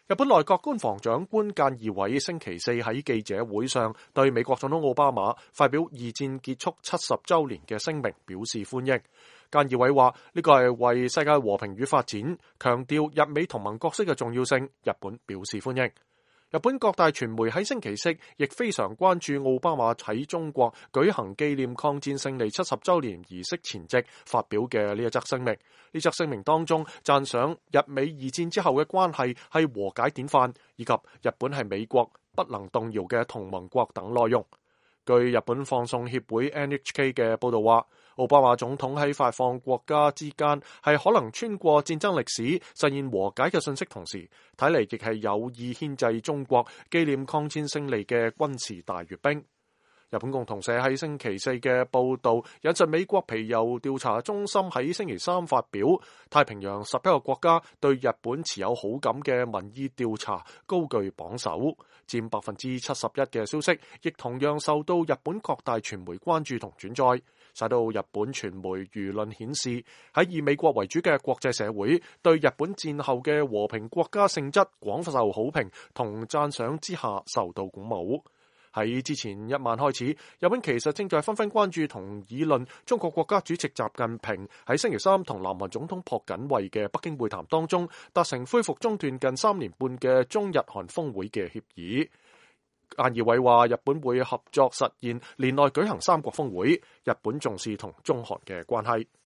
日本內閣官房長官菅義偉星期四喺記者會上對美國總統奧巴馬發表二戰結束70週年嘅聲明表示歡迎。菅義偉話呢個係為世界和平與發展，強調日美同盟角色嘅重要性，日本表示歡迎。日本各大傳媒喺星期四亦非常關注奧巴馬喺中國舉行紀念抗戰勝利70週年儀式前夕發表嘅呢一則聲明。呢則聲明當中讚賞日美二戰之後嘅關係係和解典範，以及日本係美國不能動搖嘅同盟國等內容。據日本放送協會 NHK 嘅報道話，奧巴馬總統喺發放國家之間係可能穿過戰爭歷史實現和解嘅信息，同時睇嚟亦係有意牽制中國紀念抗戰勝利嘅軍事大閱兵。日本共同社喺星期四嘅報導引述美國皮尤調查中心喺星期三發表太平洋11個國家對日本持有好感嘅民意調查高居榜首，佔71%嘅消息，亦同樣受到日本各大傳媒關注同轉載，使到日本傳媒輿論顯示喺以美國為主嘅國際社會對日本戰後嘅和平國家性質廣受好評同讚賞之下受到鼓舞。喺之前一晚開始，日本其實正在紛紛關注同議論中國國家主席習近平喺星期三同南韓總統朴槿惠嘅北京會談當中達成恢復中斷近3年半嘅中日韓峰會嘅協議。菅義偉話：日本會合作實現年內舉行3國峰會，日本重視同中韓嘅關係。